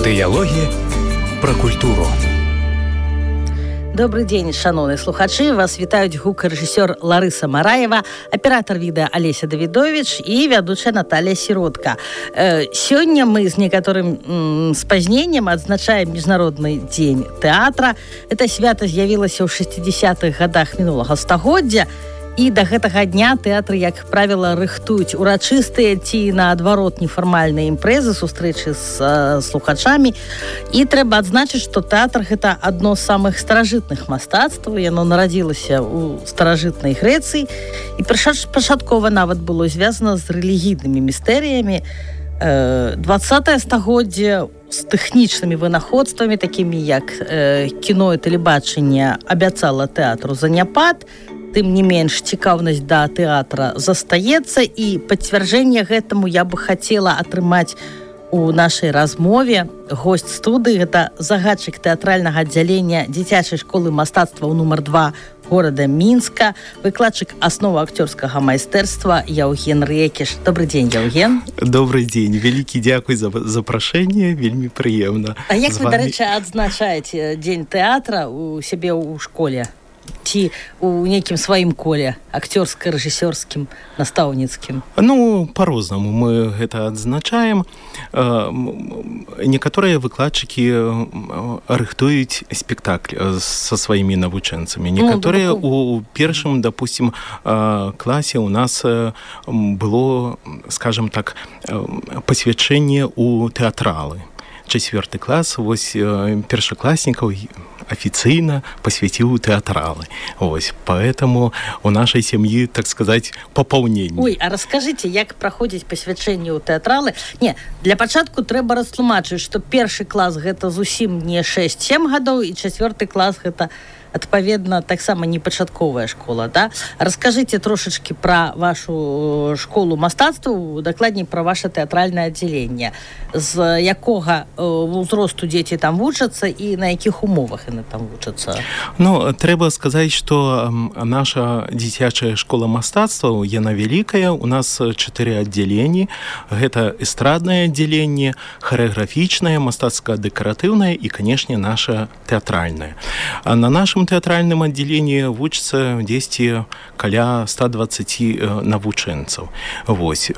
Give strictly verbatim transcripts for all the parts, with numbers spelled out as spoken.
Дыялогі пра культуру. Добрый дзень, шановныя слухачы. Вас вітаюць гукарэжысёр Ларыса Мараева, аператор відэа Алеся Давідович і вядучая Наталья Сіротка. Э, сёння мы з некаторым м, спазненнем адзначаем Міжнародны дзень тэатра. Это свята з'явілася ў шэсцідзесятых гадах мінулага стагоддзя. І да гэтага дня тэатры, як правіла, рыхтуюць урачыстыя ці, наадварот, нефармальныя імпрэзы, сустрэчы з э, слухачамі. І трэба адзначыць, што тэатр – гэта адно з самых старажытных мастацтваў. Яно нарадзілася ў старажытнай Грэцыі. І пачаткова нават было звязана з рэлігійнымі містэрыямі. Э, дваццатае стагоддзе з тэхнічнымі вынаходствамі, такімі як э, кіно і тэлебачанне, абяцала тэатру заняпад. Тым не менш, цікаўнасць да тэатра застаецца, і пацвярджэнне гэтаму я бы хацела атрымаць у нашай размове. Госць студыі – гэта загадчык тэатральнага аддзялення дзіцячай школы мастацтваў нумар два горада Мінска, выкладчык асновы акцёрскага майстэрства Яўген Рэкіш. Добрый дзень, Яўген. Добрый дзень. Вялікі дзякуй за запрашэнне, вельмі прыемна. А як вы, дарэчы, адзначаеце дзень тэатра у сябе ў школе? Ці у нейкім сваім коле, акцёрска-рэжысёрскім, настаўніцкім? Ну, па-рознаму мы гэта адзначаем. Некаторыя выкладчыкі рыхтуюць спектакль са сваімі навучэнцамі. Некаторыя у першым, допустим, класе у нас было, скажем так, пасвячэнне ў тэатралы. Чацвёрты клас, вось першакласнікаў афіцыйна пасвяціў тэатралы. Вось, поэтому у нашай сям'і, так сказаць, папаўненне. Ой, а раскажыце, як праходзіць пасвячэнне ў тэатралы? Не, для пачатку трэба растлумачыць, што першы клас гэта зусім не шэсць-сем гадоў, і чацвёрты клас гэта адпаведна таксама не пачатковая школа, да? Раскажыце трошачкі пра вашу школу мастацтваў, дакладней пра ваше тэатральнае аддзяленне. З якога ўзросту дзеці там вучацца і на якіх умовах яны там вучацца? Ну, трэба сказаць, што наша дзіцячая школа мастацтваў, яна вялікая. У нас чатыры аддзяленні. Гэта эстраднае аддзяленне, харэаграфічнае, мастацка-дэкаратыўнае і, канешне, наша тэатральнае. А на нашым тэатральным аддзяленні вучыцца дзесьці каля ста дваццаць навучэнцаў. Вось.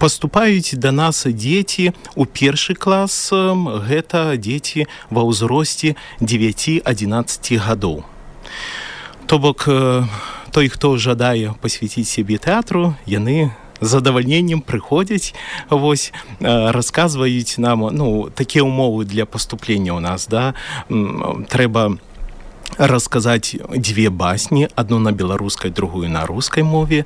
Паступаюць да нас дзеці у першы клас, гэта дзеці ва ўзросце дзевяці-адзінаццаці гадоў. То бок, той, хто жадае пасвяціць сябе тэатру, яны з задавальненнем прыходзяць, вось, расказваюць нам, ну, такія ўмовы для паступлення ў нас, да, трэба расказаць дзве басні, адну на беларускай, другую на рускай мове,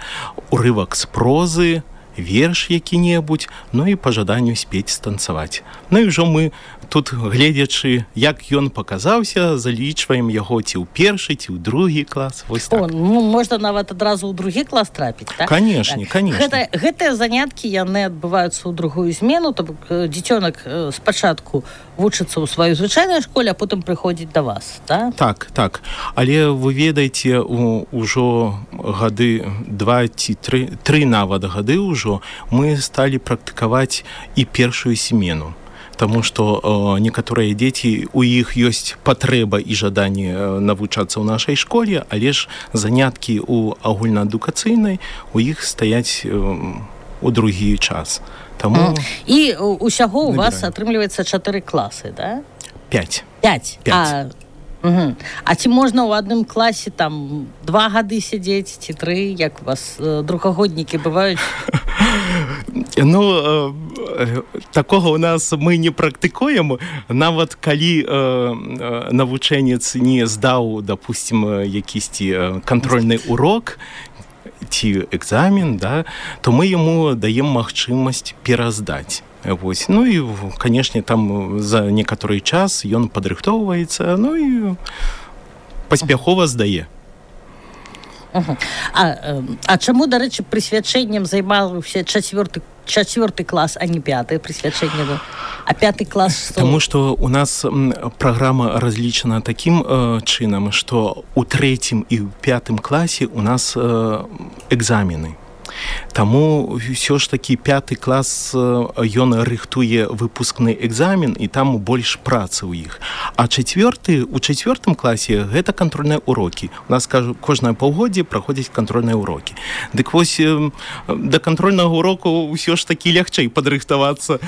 урывак з прозы, верш які-небудзь, ну і па жаданню спець, станцаваць. Ну і ўжо мы тут, гледзячы, як ён паказаўся, залічваем яго ці ў першы, ці ў другі клас. Вось так. О, ну, можна нават адразу ў другі клас трапіць, так? Канешне, канешне. Гэта, гэтыя заняткі, яны адбываюцца ў другую змену, то бок дзіцёнак спачатку вучыцца ў сваёй звычайнай школе, а потым прыходзіць да вас, так? Так, так. Але вы ведаеце, ўжо гады два ці тры, тры нават гады ўжо мы сталі практыкаваць і першую смену. Таму што э, некаторыя дзеці, у іх ёсць патрэба і жаданне э, навучацца ў нашай школе, але ж заняткі ў агульнаадукацыйнай у іх стаяць э, у другі час. Таму... Mm. І ўсяго у вас атрымліваецца чатыры класы, да? Пяць. Пяць. Пяць. А... Угу. А ці можна ў адным класе там два гады сядзець, ці тры, як у вас э, другагоднікі бываюць? Ну, э, такога у нас мы не практыкуем. Нават калі э, навучэнец не здаў, допустим, якісьці кантрольны урок ці экзамен, да, то мы яму даем магчымасць пераздаць. Вось. Ну і, канешне, там за некаторы час ён падрыхтоўваецца, ну і паспяхова здае. Uh-huh. А, а чаму, дарэчы, прысвячэннем займаўся чацвёрты, чацвёрты клас, а не пяты прысвячэнне? А пяты клас што? Таму што у нас праграма разлічана такім э, чынам, што ў трэцім і ў пятым класе у нас э, экзамены. Таму ўсё ж такі пяты клас ён рыхтуе выпускны экзамен, і там больш працы ў іх. А чацвёрты, у чацвёртым класе гэта кантрольныя урокі. У нас, кажу, кожнае паўгоддзе праходзяць кантрольныя урокі. Дык вось да кантрольнага уроку ўсё ж такі лягчэй падрыхтавацца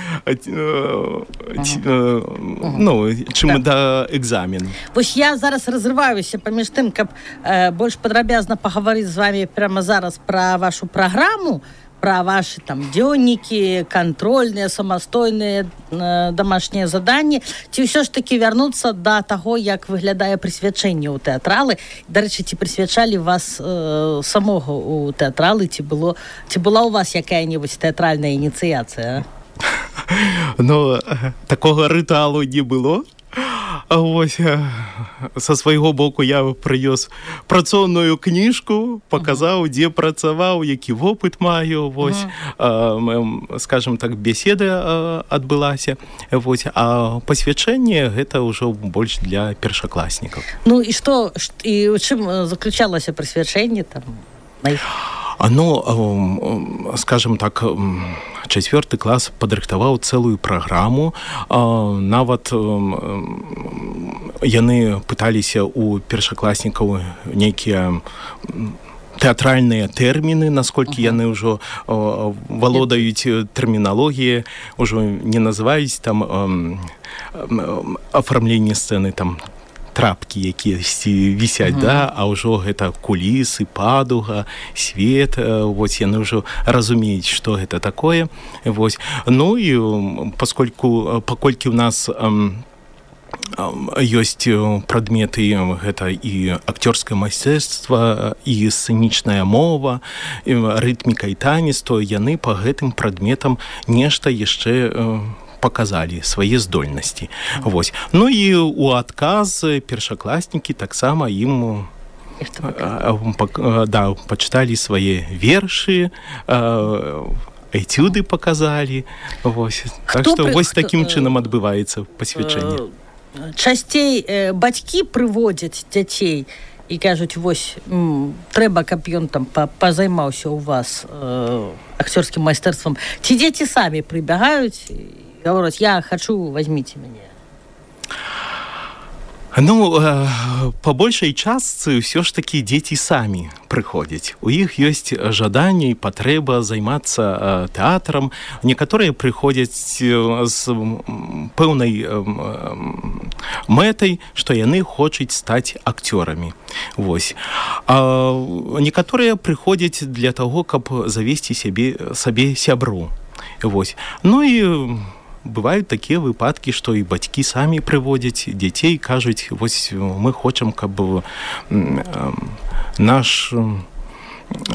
ну, чым да экзамену. Вось я зараз разрываюся паміж тым, каб больш падрабязна пагаварыць з вами прямо зараз пра вашу праграму, пра вашы там дзённікі, кантрольныя, самастойныя э, дамашнія заданні, ці ўсё ж такі вярнуцца да таго, як выглядае прысвячэнне ў тэатралы. Дарэчы, ці прысвячалі вас э, самога ў тэатралы, ці было, ці была ў вас якая-небудзь тэатральная ініцыяцыя? Ну, такога рытуалу не было. А вось са свайго боку я прынёс працоўную кніжку, паказаў, uh-huh. дзе працаваў, які вопыт маю, вось, uh-huh. а, скажем так, беседа адбылася, вось, а пасвячэнне гэта ўжо больш для першакласнікаў. Ну і што, і ў чым заключалася прысвячэнне там? Ну, скажем так, чацвёрты клас падрыхтаваў цэлую праграму. Нават яны пыталіся ў першакласнікаў нейкія тэатральныя тэрміны, насколькі uh-huh. яны ўжо валодаюць тэрміналогіяй, ужо не называюць там афармленне сцэны, там трапкі, якія вісяць, uh-huh. да, а ўжо гэта кулісы, падуга, свет, вось яны ўжо разумеюць, што гэта такое. Вось. Ну і паскольку, паколькі ў нас ам, ам, ёсць прадметы, гэта і акцёрскае майстэрства, і сцэнічная мова, і рытміка і танец, то яны па гэтым прадметам нешта яшчэ показалі свае здольнасці. Вось. Ну і у адказ першакласнікі таксама ім да, пачыталі свае вершы, этюды показалі. Вось. Так што вось такім чынам адбываецца пасвячэнне. Часцей бацькі прыводзяць дзяцей і кажуць, вось, м, трэба, каб ён там пазаймаўся у вас э, акцёрскім майстэрствам. Ці дзеці самі прыбягаюць говорят, я хочу, возьмите меня? Ну, по большай частцы ўсё ж такі дзеці самі прыходзяць. У іх ёсць жаданне і патрэба займацца тэатрам. Некаторыя прыходзяць з пэўнай мэтай, што яны хочуць стаць акцёрамі. Вось. А некаторыя прыходзяць для таго, каб завесці сябе, сабе сябру. Вось. Ну і бываюць такія выпадкі, што і бацькі самі прыводзяць дзяцей, кажуць, вось мы хочам, каб наш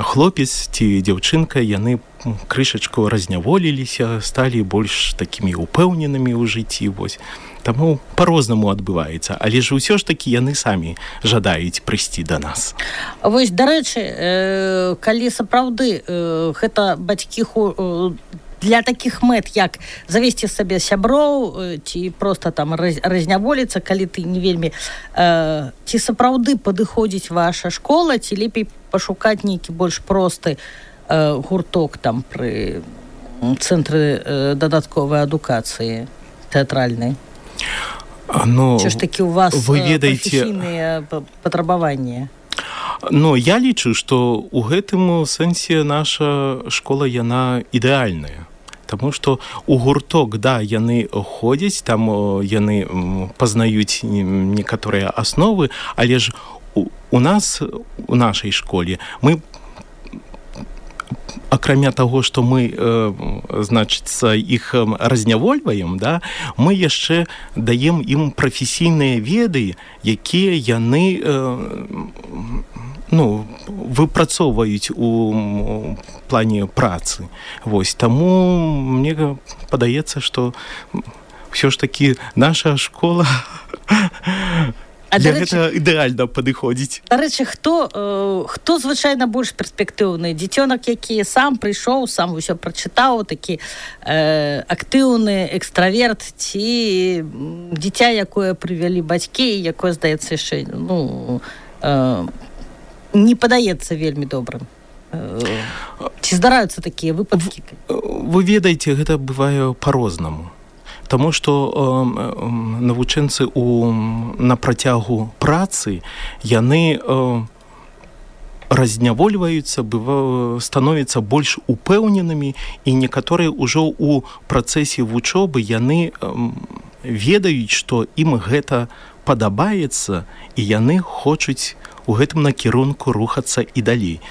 хлопец ці дзяўчынка, яны крышачку разняволіліся, сталі больш такімі упэўненымі ў жыцці. Вось. Таму па-рознаму адбываецца, але ж ўсё ж такі яны самі жадаюць прыйсці да нас. Вось, дарэчы, э, калі сапраўды э, гэта бацькі хо... для такіх мэт, як завесці сабе сяброў, ці проста там разняволіцца, калі ты не вельмі... Э, ці сапраўды падыходзіць ваша школа, ці лепей пашукаць нейкі больш просты э, гурток там пры цэнтры э, дадатковай адукацыі тэатральнай? Ну, ці ж такі у вас вы ведаеце... прафесійныя патрабаванні? Ну, я лічу, што ў гэтым сэнсе наша школа, яна ідэальная. Таму што у гурток, да, яны ходзяць, там яны пазнаюць некаторыя асновы, але ж у, у нас, у нашай школе, мы акрамя таго, што мы, э, значыцца, іх разнявольваем, да, мы яшчэ даем ім прафесійныя веды, якія яны э, ну, выпрацоўваюць у плане працы. Вось. Таму мне падаецца, што ўсё ж такі наша школа А для речі, гэтага ідэальна падыходзіць. Дарэчы, хто, э, хто звычайна больш перспектыўны? Дзіцёнак, які сам прыйшоў, сам усё прачытаў, такі э, актыўны экстраверт, ці дзіця, якое прывялі бацькі, якое, здаецца, яшчэ ну, э, не падаецца вельмі добрым? Ці здараюцца такія выпадкі? Вы ведаеце, гэта бывае па-рознаму. Таму што э, навучэнцы у, на працягу працы яны э, разнявольваюцца, быва, становяцца больш упэўненымі, і некаторыя ўжо ў працэсе вучобы яны э, ведаюць, што ім гэта падабаецца, і яны хочуць у гэтым накірунку рухацца і далей.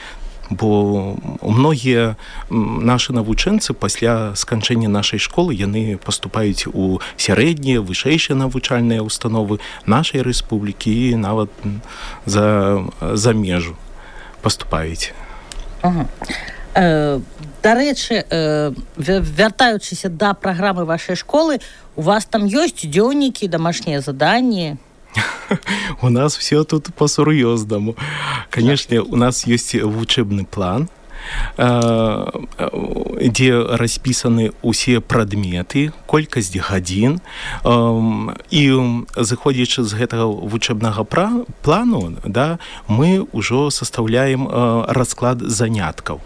Бо многія нашы навучэнцы пасля сканчэння нашай школы яны паступаюць у сярэднія, вышэйшыя навучальныя установы нашай рэспублікі і нават за, за межу паступаюць. Ага. Э, дарэчы, э, вяртаючыся да праграмы вашай школы, у вас там ёсць дзённікі, домашнія заданні? У нас все тут по-сур'ёзнаму. Конечно, у нас есть учебный план, где расписаны усе прадметы, колькасць гадзін, і заходзячы з гэтага вучэбнага плану, да, мы ўжо састаўляем расклад заняткаў.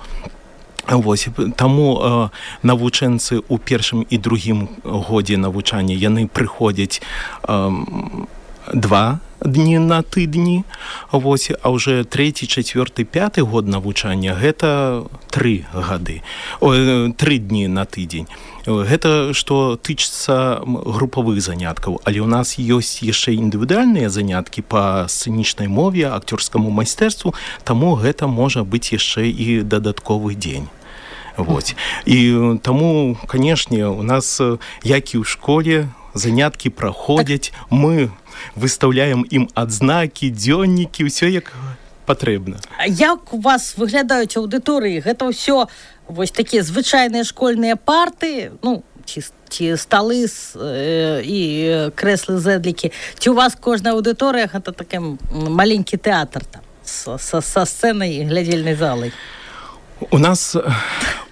Вось, таму э, навучэнцы ў першым і другім годзе навучання яны прыходзяць э, два дні на тыдні, вось, а ўжо трэці, чацвёрты, пяты год навучання гэта тры гады, о, тры дні на тыдзень. Гэта што тычыцца групавых заняткаў, але ў нас ёсць яшчэ індывідуальныя заняткі па сцэнічнай мове, акцёрскаму майстэрству, таму гэта можа быць яшчэ і дадатковы дзень. Вот. І таму, канешне, у нас, як і ў школе, заняткі праходзяць, мы выстаўляем ім адзнакі, дзённікі, ўсё як патрэбна. А як у вас выглядаюць аўдыторыі? Гэта ўсё вось такія звычайныя школьныя парты, ну, ці, ці сталы э, і крэслы зэдлікі, ці у вас кожная аўдыторыя гэта такі маленькі тэатр там, са, са сцэнай і глядзельнай залай? У нас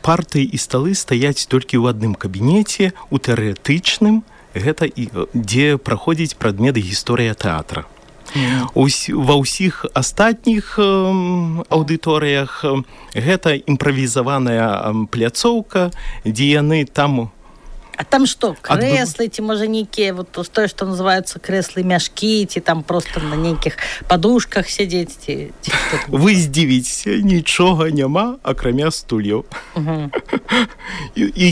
парты і сталы стаяць толькі ў адным кабінеце, у тэарэтычным, гэта і дзе праходзіць прадмет гісторыя тэатра. Mm. Ус, ва ўсіх астатніх э, аўдыторыях гэта імправізаваная пляцоўка, дзе яны там... А там што, крэслы, ці можа нейкія, вот тое, што называюцца крэслы-мяшкі, ці там проста на нейкіх падушках сядзець, ці, ці што? Вы здзівіцеся, нічога няма, акрамя стульяў. Uh-huh. І, і,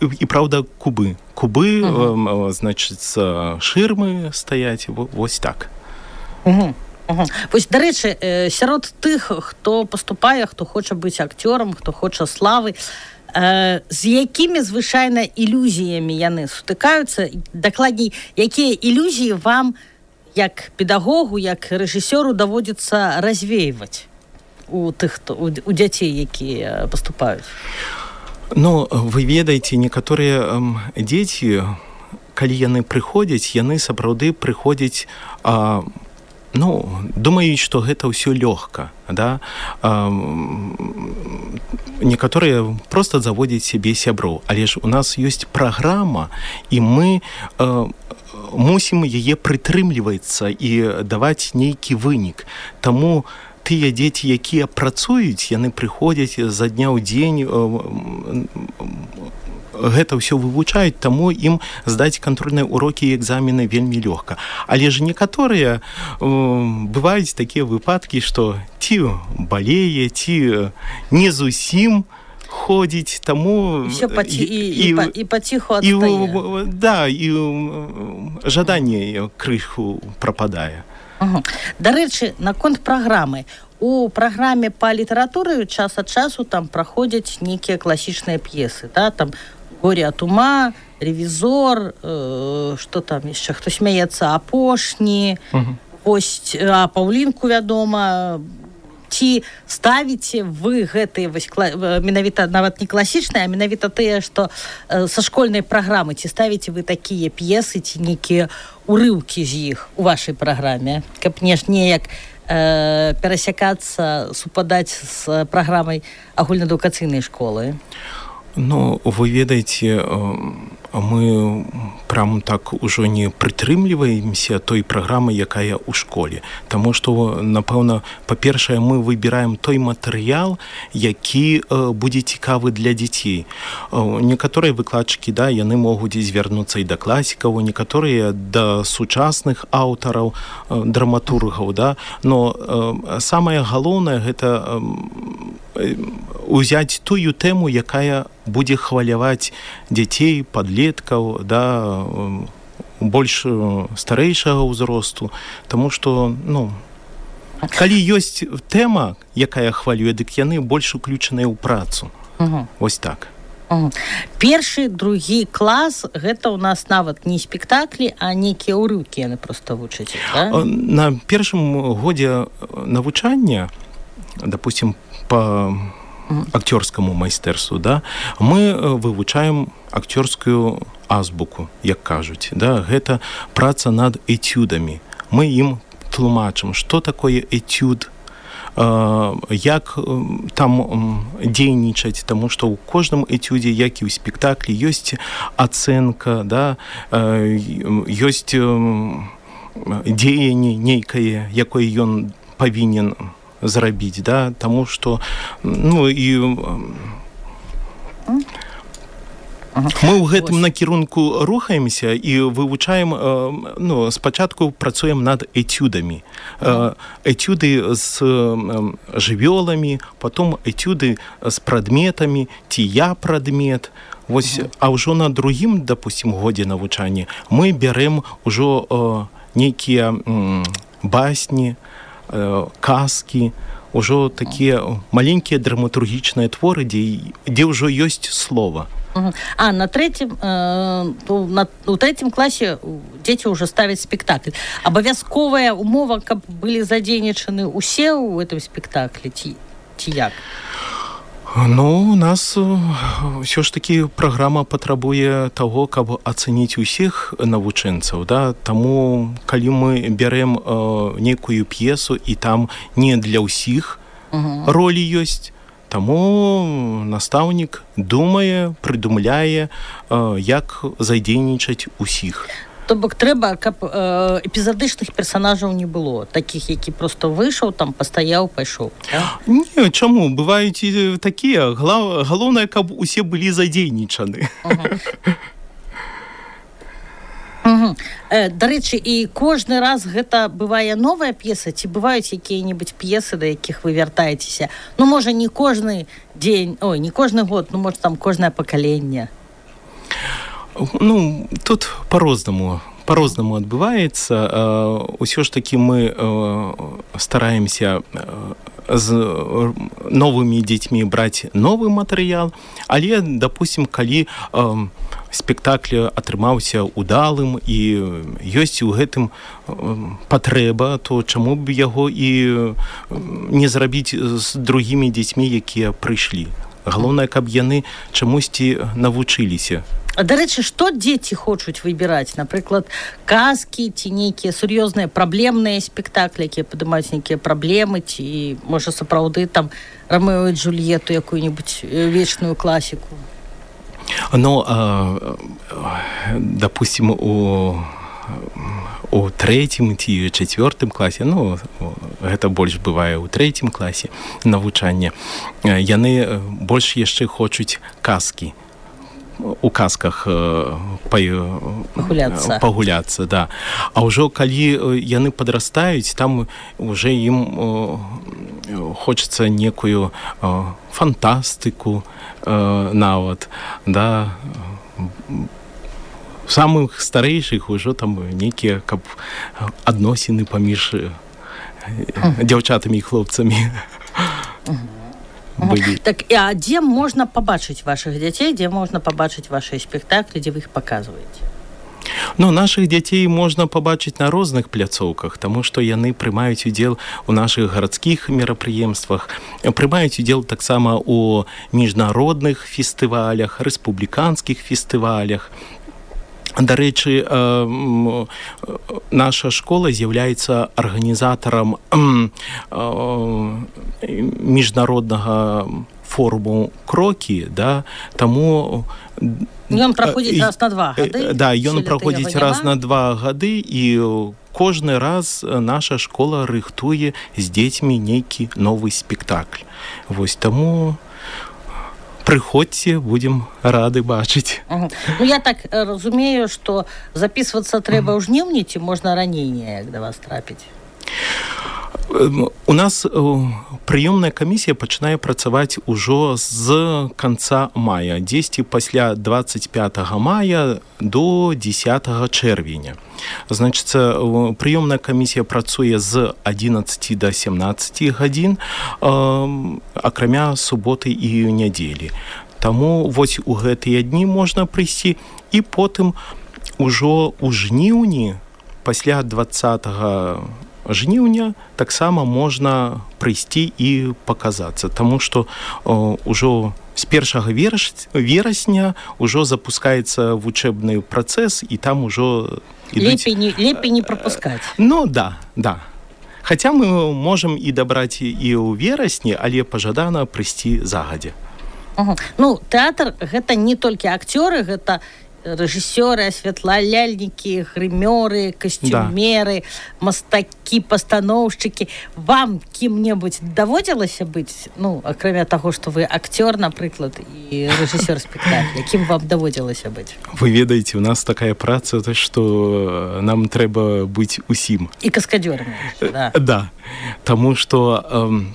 і, праўда, кубы. Кубы, uh-huh. э, значыць, шырмы стаяць, вось так. Uh-huh. Uh-huh. Вось, дарэчы, э, сярод тых, хто паступае, хто хоча быць акцёрам, хто хоча славы, з якімі звычайна ілюзіямі яны сутыкаюцца, дакладней, якія ілюзіі вам, як педагогу, як рэжысёру, даводзіцца развейваць у тых, хто, у, у дзяцей, якія паступаюць? Ну, вы ведаеце, некаторыя эм, дзеці, калі яны прыходзяць, яны сапраўды прыходзяць, а, ну, думаюць, што гэта ўсё лёгка, да? А, некаторыя проста заводзяць сябе сяброў, але ж у нас ёсць праграма, і мы э, мусім яе прытрымлівацца і даваць нейкі вынік. Таму тыя дзеці, якія працуюць, яны прыходзяць за дня ў дзень, э, гэта ўсё вывучаюць, таму ім здаць кантрольныя урокі і экзамены вельмі лёгка. Але ж некаторыя э, бываюць такія выпадкі, што ці балее, ці не зусім ходзіць, таму... Усё паці... і, і, і, і паціху адстае. Да, і жаданне крыху прападае. Ага. Дарэчы, наконт праграмы. У праграме па літаратуры час ад часу там праходзяць нейкія класічныя п'есы, да, там «Горе от ума», «Ревизор», э, што там яшчэ, хто смяецца, «Апошні», uh-huh. Ось, а Паўлінку, вядома. Ці ставіце вы гэтыя вось, менавіта нават не класічныя, а менавіта тыя, што э, са школьнай праграмы, ці ставіце вы такія п'есы, ці нейкія урыўкі з іх у вашай праграме, каб не ж неяк э, перасякацца, супадаць з праграмай агульнаадукацыйнай школы? Ну, вы ведаеце, мы прям так ужо не прытрымліваемся той праграмы, якая ў школе. Таму што, напэўна, па-першае, мы выбіраем той матэрыял, які будзе цікавы для дзяцей. Некаторыя выкладчыкі, да, яны могуць звярнуцца і да класікаў, некаторыя да сучасных аўтараў, драматургаў, да, но самае галоўнае гэта узяць тую тэму, якая будзе хваляваць дзяцей, падлеткаў, да, больш старэйшага ўзросту, таму што, ну, калі ёсць тэма, якая хвалюе, дык яны больш уключаныя ў працу. Угу. Вось так. Угу. Першы, другі клас, гэта ў нас нават не спектаклі, а нейкія ўрыўкі яны проста вучаць, да? На першым годзе навучання, допустим, по акцёрскаму майстэрству, да, мы вывучаем акцёрскую азбуку, як кажуць, да, гэта праца над этюдамі. Мы ім тлумачым, што такое этюд, як там дзейнічаць, таму што ў кожным этюдзе, як і ў спектаклі, ёсць ацэнка, да, ёсць дзеянне нейкае, якое ён павінен зрабіць, да, таму што, ну, і мы ў гэтым накірунку рухаемся і вывучаем, ну, спачатку працуем над этюдамі. Этюды з жывёламі, потом этюды з прадметамі, ці я прадмет. Вось, а ўжо на другім, допустим, годзе навучання мы бярэм ужо нейкія басні, казкі, ўжо такія маленькія драматургічныя творы, дзе, дзе ўжо ёсць слова. А на третьем, э, на, у третьем класе дзеці ўжо ставяць спектакль. Абавязковая умова, каб былі задзейнічаны ўсе ў гэтым спектаклі, ці, ці як? Ну, у нас ўсё ж такі праграма патрабуе таго, каб ацэніць усіх навучэнцаў, да? Таму, калі мы бярэм э, нейкую п'есу, і там не для ўсіх uh-huh. ролі ёсць, таму настаўнік думае, прыдумляе, э, як задзейнічаць усіх. То бок трэба, каб э, эпізадычных персанажаў не было, такіх, які проста выйшаў, там пастаяў, пайшоў. Да? Не, чаму? Бываюць і такія. Глав... Галоўнае, каб усе былі задзейнічаны. Угу. Угу. Э, дарэчы, і кожны раз гэта бывае новая п'еса, ці бываюць якія-небудзь п'есы, да якіх вы вяртаецеся? Ну, можа, не кожны дзень, ой, не кожны год, ну, можа, там кожнае пакаленне. Ну, тут по-рознаму, по-рознаму адбываецца. Усё ж такі мы стараемся з новымі дзецьмі браць новы матэрыял, але, допустим, калі спектакль атрымаўся удалым і ёсць у гэтым патрэба, то чаму б яго і не зрабіць з другімі дзецьмі, якія прыйшлі. Галоўнае, каб яны чамусьці навучыліся. А, дарэчы, што дзеці хочуць выбіраць? Напрыклад, казкі ці нейкія сур'ёзныя праблемныя спектаклі, якія падымаюць нейкія праблемы, ці, можа, сапраўды там Рамео і Джульетту, якую-небудзь вечную класіку? Ну, а, допустим, у, у трэцім ці чацвёртым класе, ну, гэта больш бывае ў трэцім класе навучання, яны больш яшчэ хочуць казкі. У казках э, пагуляцца. пагуляцца, да. А ўжо калі яны падрастаюць, там уже ім э, хочацца некую э, фантастыку э, нават, да. Самых старэйшых ужо там нейкія, каб адносіны паміж э, дзяўчатамі і хлопцамі. Былі. Так, а дзе можна пабачыць вашых дзяцей, дзе можна пабачыць вашыя спектаклі, дзе вы іх паказваеце? Ну, нашых дзяцей можна пабачыць на розных пляцоўках, таму што яны прымаюць удзел у нашых гарадскіх мерапрыемствах, прымаюць удзел таксама у міжнародных фестывалях, рэспубліканскіх фестывалях. Дарэчы, наша школа з'яўляецца арганізатарам міжнароднага форму крокі, да, таму ён праходзіць раз на два гады. Да, ён праходзіць раз на два гады, і кожны раз наша школа рыхтуе з дзецьмі нейкі новы спектакль. Вось таму прыходзьце, будзем рады бачыць. Угу. Ну, я так разумею, што запісвацца трэба ў жніўні, ці можна раней неяк да вас трапіць? У нас прыёмная камісія пачынае працаваць ужо з канца мая, дзесьці пасля двадцать пятого мая до десятого чэрвеня. Значыцца, прыёмная камісія працуе з адзінаццаці до семнаццаці гадзін, акрамя суботы і нядзелі. Таму вось у гэтыя дні можна прыйсці, і потым ужо ў жніўні, пасля двадцатого жніўня, таксама можна прыйсці і паказацца, таму што ўжо з першага верасня ўжо запускаецца вучэбны працэс, і там ужо ідуць... Лепей не, лепей не прапускаць. Ну, да, да. Хаця мы можам і дабраць і ў верасні, але пажадана прыйсці загадзя. Угу. Ну, тэатр — гэта не толькі акцёры, гэта рэжысёры, асвятляльнікі, грымёры, касцюмеры, да. Мастакі, пастаноўшчыкі. Вам кім-небудзь даводзілася быць, ну, акрамя таго, што вы акцёр, напрыклад, і рэжысёр спектакля, кім вам даводзілася быць? Вы ведаеце, у нас такая праца, што нам трэба быць усім. І каскадёрамі. Да. Да, таму што эм,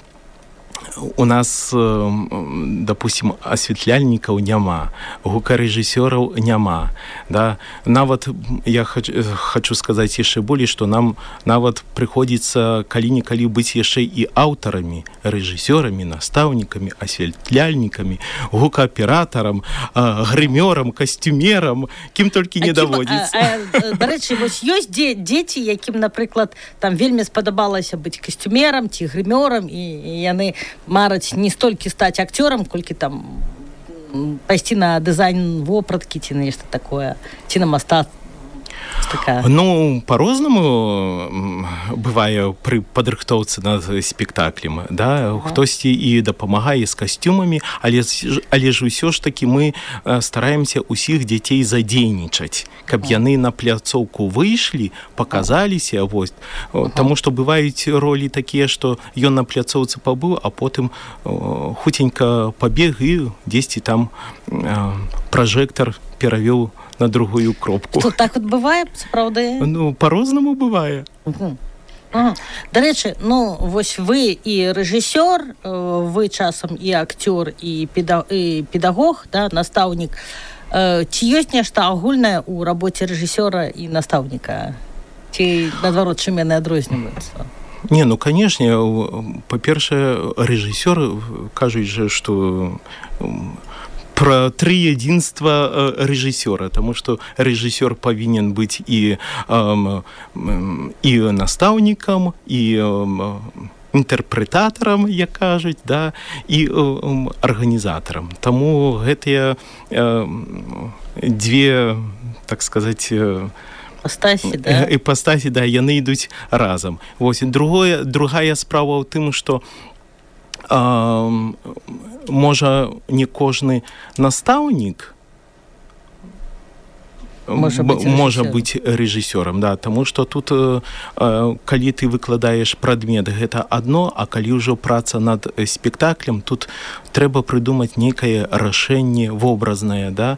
у нас, допустим, асвятляльнікаў няма, гукарэжысёраў няма, да? Нават я хочу, хочу сказаць яшчэ болей, што нам нават прыходзіцца калі-нікалі быць яшчэ і аўтарамі, рэжысёрамі, настаўнікамі, асвятляльнікамі, гукааператарам, грымёрам, касцюмерам, кім толькі не даводзіцца. Дарэчы, вось ёсць дзеці, якім, напрыклад, там вельмі спадабалася быць касцюмерам ці грымёрам, і яны мараць не столькі стаць акцёрам, колькі там пайсці на дызайн вопраткі ці нешта такое, ці на мастацтва. Такая. Ну, по-рознаму бывае пры падрыхтоўцы над спектаклем, да? Ага. Хтосьці і дапамагае з касцюмамі, але, але ж усё ж такі мы стараемся усіх дзяцей задзейнічаць, каб ага. яны на пляцоўку выйшлі, паказаліся, вось. Ага. Таму што бываюць ролі такія, што ён на пляцоўцы пабыў, а потым хуценька пабег і дзесьці там пражэктар перавёў на другую кропку. Што так от бывае, сапраўды? Ну, по-рознаму бывае. Угу. Ага. Дарэчы, ну, вось вы і рэжысёр, вы часам і акцёр, і, педа... і педагог, да, настаўнік. Ці ёсць нешта агульнае ў рабоце рэжысёра і настаўніка? Ці, наадварот, чым яны адрозніваюцца? Не, ну, канешне, па-першае, рэжысёр кажуць жа, што про трыядзінства рэжысёра, таму што рэжысёр павінен быць і, і настаўнікам, і інтэрпрэтатарам, як кажуць, да, і арганізатарам. Таму гэтыя дзве, так сказаць, іпастасі, да? Іпастасі, да, яны ідуць разам. Вось, другое, другая справа ў тым, што А, можа, не кожны настаўнік можа быць рэжысёрам, можа быць рэжысёрам, да, таму што тут, калі ты выкладаеш прадмет, гэта адно, а калі ўжо праца над спектаклем, тут трэба прыдумаць нейкае рашэнне вобразнае, да,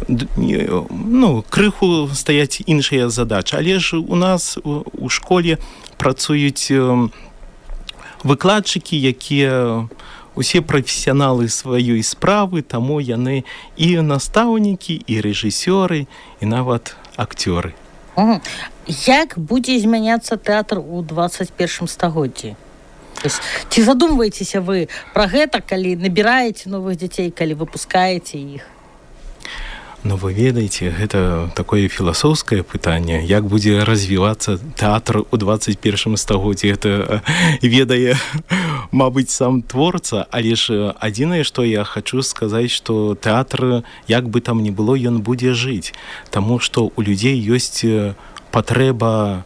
ну, крыху стаяць іншыя задачы, але ж у нас у школе працуюць выкладчыкі, якія усе прафесіяналы сваёй справы, таму яны і настаўнікі, і рэжысёры, і нават акцёры. Угу. Як будзе змяняцца тэатр у двадцать першым стагоддзі? Ці задумваецеся вы пра гэта, калі набіраеце новых дзяцей, калі выпускаеце іх? Ну, вы ведаеце, гэта такое філасофскае пытанне, як будзе развівацца тэатр у двадцать першым стагоддзі. Гэта ведае, мабыць, сам творца, але ж адзінае, што я хачу сказаць, што тэатр, як бы там ні было, ён будзе жыць, таму што у людзей ёсць патрэба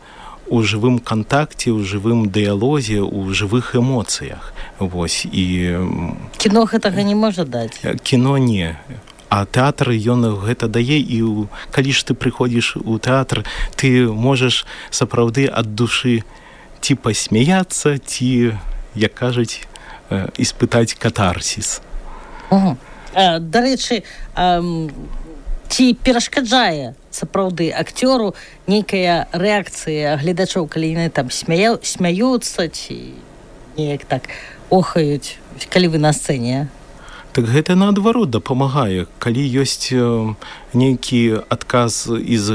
у жывым кантакце, у жывым дыялозе, у жывых эмоцыях. Вось, і кіно гэтага не можа даць. Кіно не. А тэатр, ён гэта дае, і калі ж ты прыходзіш у тэатр, ты можаш сапраўды ад душы ці пасмяяцца, ці, як кажуць, іспытаць катарсіс. Угу. Дарэчы, ці перашкаджае сапраўды акцёру нейкая рэакцыя гледачоў, калі яны там смяя... смяюцца, ці неяк так охаюць, калі вы на сцэне? Так гэта наадварот дапамагае. Калі ёсць э, нейкі адказ з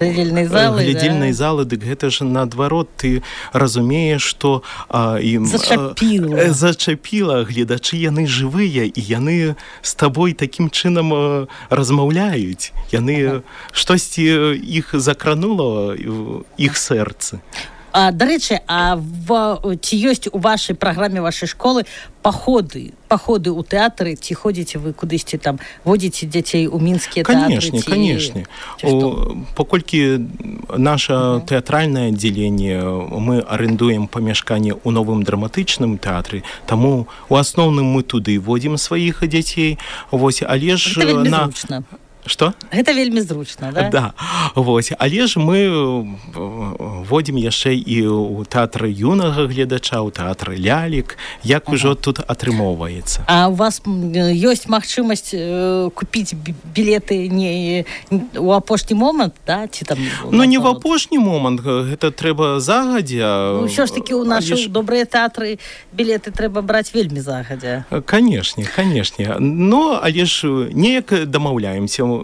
глядзельнай залы, глядзельнай да? залы, дык гэта ж наадварот ты разумееш, што а, ім зачапіла. А, зачапіла, гледачы яны жывыя, і яны з табой такім чынам а, размаўляюць. Яны ага. штосьці іх закранула іх сэрцы. А, дарэчы, а в, ці ёсць у вашай праграме вашай школы паходы, паходы ў тэатры, ці ходзіце вы кудысьці там, водзіце дзяцей у мінскія тэатры? Канешне, канешне. Паколькі наша uh-huh. тэатральнае аддзяленне, мы арендуем памяшканне ў новым драматычным тэатры, таму у асноўным мы туды водзім сваіх дзяцей. Вось, але ж гэта вельмі на... зручна. Што? Гэта вельмі зручна, да? Да. Вось. Але ж мы водзім яшчэ і ў тэатры юнага гледача, ў тэатры лялек, як ага. ўжо тут атрымоўваецца. А у вас ёсць магчымасць э, купіць білеты не у апошні момант, да? Ці там, ну, не в апошні момант, гэта трэба загадзя. Ну, ўсё ж такі ў нашы ж... добрыя тэатры білеты трэба браць вельмі загадзя. Канешне, канешне. Но, але ж неяк дамаўляемся.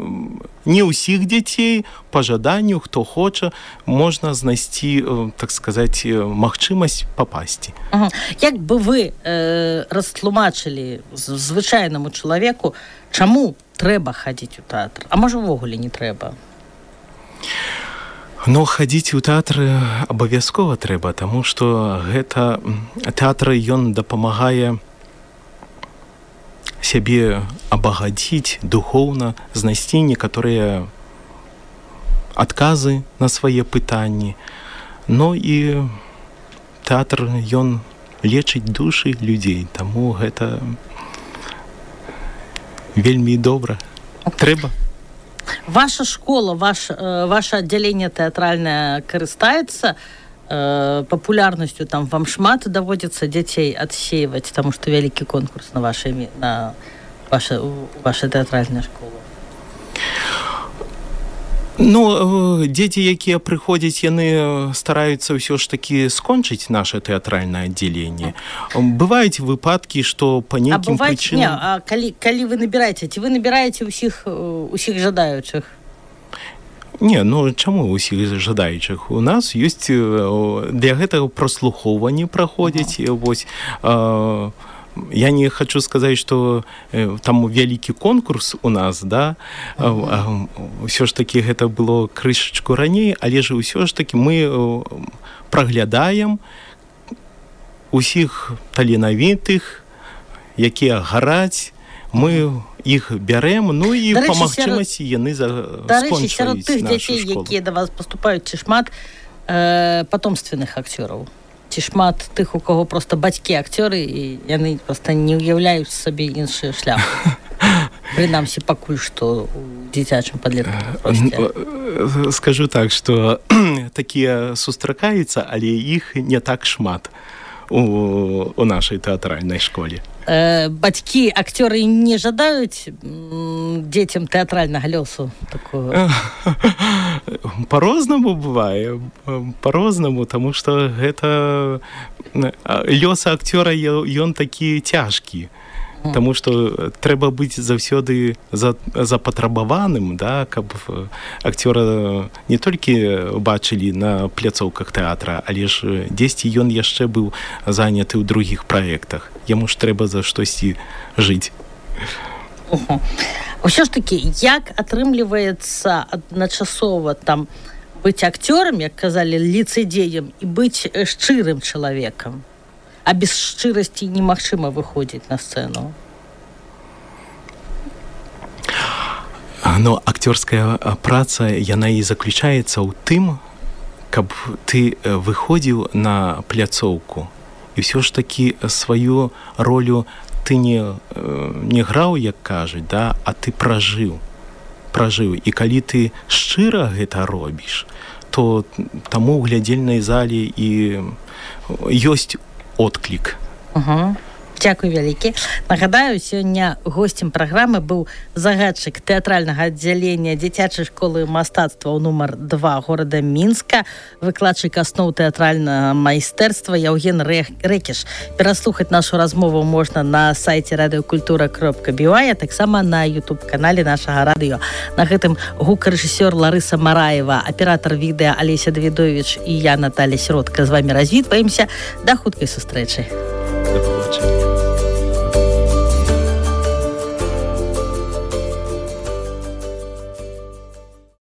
Не ўсіх дзяцей, па жаданню, хто хоча, можна знайсці, так сказаць, магчымасць папасці. Ага. Як бы вы э, растлумачылі звычайнаму чалавеку, чаму трэба хадзіць у тэатр? А можа, увогуле не трэба? Ну, хадзіць у тэатры абавязкова трэба, таму што гэта тэатр, ён дапамагае сябе абагадзіць духоўна, знайсці некаторыя адказы на свае пытанні. Ну і тэатр, ён лечыць душы людзей, таму гэта вельмі добра. Трэба. Ваша школа, ваш, ваше аддзяленне тэатральнае карыстаецца папулярнасцю, там вам шмат даводзіцца дзяцей адсейваць, таму што вялікі конкурс на вашай на ваша, ваша тэатральная школа? Ну, дзеці, якія прыходзяць, яны стараюцца ўсё ж такі скончыць наша тэатральнае аддзяленне. Бываюць выпадкі, што па нейкім прычынам... Не, а калі, калі вы набіраеце, ці вы набіраеце ўсіх, усіх жадаючых? Не, ну чаму ўсіх жадаючых? У нас ёсць для гэтага праслухоўванне праходзіць. Uh-huh. Вось, э, я не хочу сказаць, што э, там вялікі конкурс у нас, да? Uh-huh. Усё ж такі гэта было крышачку раней, але ж усё ж такі мы праглядаем усіх таленавітых, якія гараць, мы іх бярэм, ну і па магчымасці яны скончваюць сярод тых дзяцей, якія да вас паступаюць, ці шмат э, патомственных акцёраў? Ці шмат тых, у каго проста бацькі акцёры, і яны проста не ўяўляюць сабе іншы шлях? Прынамсі, пакуль што у дзіцячым падлеткавым. Скажу так, што такія сустракаюцца, але іх не так шмат у, у нашай тэатральнай школе. Э, бацькі акцёры не жадаюць дзецям тэатральнага лёсу такого? По-рознаму бывае, по-рознаму, таму што гэта лёс акцёра, ён такі цяжкі. Таму што трэба быць заўсёды запатрабаваным, да, каб акцёра не толькі бачылі на пляцоўках тэатра, але ж дзесьці ён яшчэ быў заняты ў другіх праектах. Яму ж трэба за штосьці жыць. Угу. Усё ж такі, як атрымліваецца адначасова там быць акцёрам, як казалі, ліцэдзеем, і быць шчырым чалавекам? А без шчырасці немагчыма выходзіць на сцэну. Но акцёрская праца, яна і заключаецца ў тым, каб ты выходзіў на пляцоўку і ўсё ж такі сваю ролю ты не, не граў, як кажуць, да, а ты пражыў. Пражыў. І калі ты шчыра гэта робіш, то таму ў глядзельнай зале і ёсць отклік. Угу. Дзякуй вялікі. Нагадаю, сёння госцем праграмы быў загадчык тэатральнага аддзялення дзіцячай школы мастацтваў нумар два горада Мінска, выкладчык асноў тэатральнага майстэрства Яўген Рэкіш. Пераслухаць нашу размову можна на сайце радыёкультура кропка бі вай, а таксама на ютуб-канале нашага радыё. На гэтым гукарэжысёр Ларыса Мараева, аператар відэа Алеся Давідовіч і я, Наталья Сіротка, з вамі развітваемся. Да хуткай сустрэчы. Да побачення.